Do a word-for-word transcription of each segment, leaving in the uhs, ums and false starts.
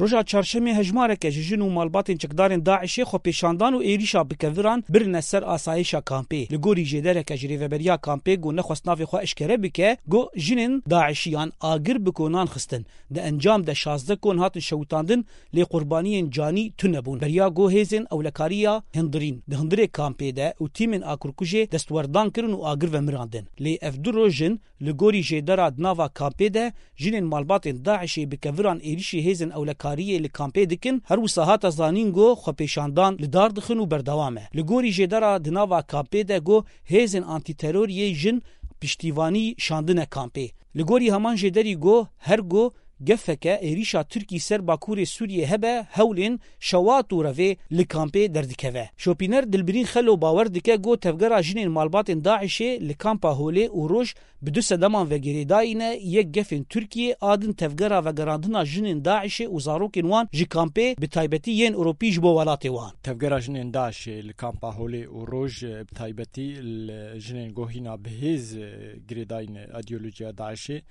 Roja çarşemê hejmareke ji jin û malbatên çekdarên DAIŞê xwepêşandan û êrîşa bi keviran birine ser asayişa kampê. Li gorî jêdereke ji rêveberiya kampê ku nexwest navê xwe eşkere bike, got jinên DAIŞiyan agir bi konan xistin. Di encam de şazdeh kon hatin şewitandin, lê qurbaniyên canî tune bûn. Beriya ku hêzên ewlekariya hindirîn di hundirê kampê de û tîmên akurkujê destwerdan kirin û agir ve mirandin. Lê ev du roj in, li gorî jêdera di nava kampê de jinên malbatên DAIŞê bi keviran êrîşî hêzên ewlekariyê li kampê dikin, her wisa hate zanîn ku xwepêşandan li dar dixin û berdewam e. Li gorî jêdera di nava kampê de ku hêzên antîteroriyê jin piştîvanî şandine kampê. Li gorî heman jêderî ku her ku gefeke êrîşa Tirkî ser Bakurê Sûriyê hebe, hewlên şewat û revê li kampê derdikeve. Şopîner Dilbirîn Xelo bawer dike ku tevgera jinên malbatên DAIŞê li kampa Holê û Roj bi du sedeman ve girêdayî ne, yek gefên Tirkiyê, a din tevgera vegerandina jinên DAIŞê û zarokên wan ji kampê, bi taybetî yên Ewropî ji bo welatê wan. Tevgera jinên DAIŞê li kampa Holê û Roj, e, bi taybetî li jinên ku hîna bi hêz, e, girêdayî ne îdeolojiya DAIŞê,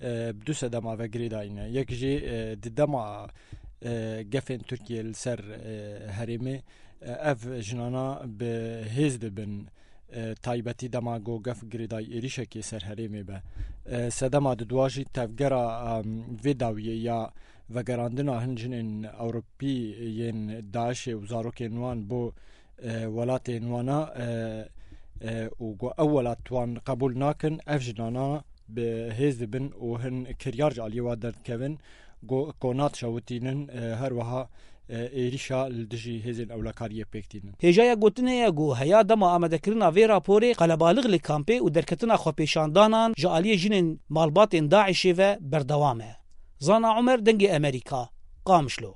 e, bi du sedema ve girêdayî ne. Yek jî, e, di dema, e, gefên Tirkiyê li ser, e, herêmê, e, ev jinana bi hêz dibin, e, taybetî dema ku gef girêdayî êrîşekê ser herêmê be. E, sedema didua jî tevgera, em, vê dawiyê ya vegerandina hin jinên Ewropî yên DAIŞê û zarokên wan bo, e, welatên wana, e, e, û ku ew welat wan qebûl nakin, ev jinana bi hêz dibin û hin kiryar ji aliyê wan derdikevin, ku konat şewitînin, e, her wiha, e, êrîşa li dijî hêzên ewlekariyê pêk tînin. Hêjaya gotinê ye ku heya dema amadekirina vê raporê qelebalix li kampê û derketina xwepêşandanan ji aliyê jinên malbatên DAIŞê ve berdewam e. Zana Umer, Dengê Amerîka, Qamişlo.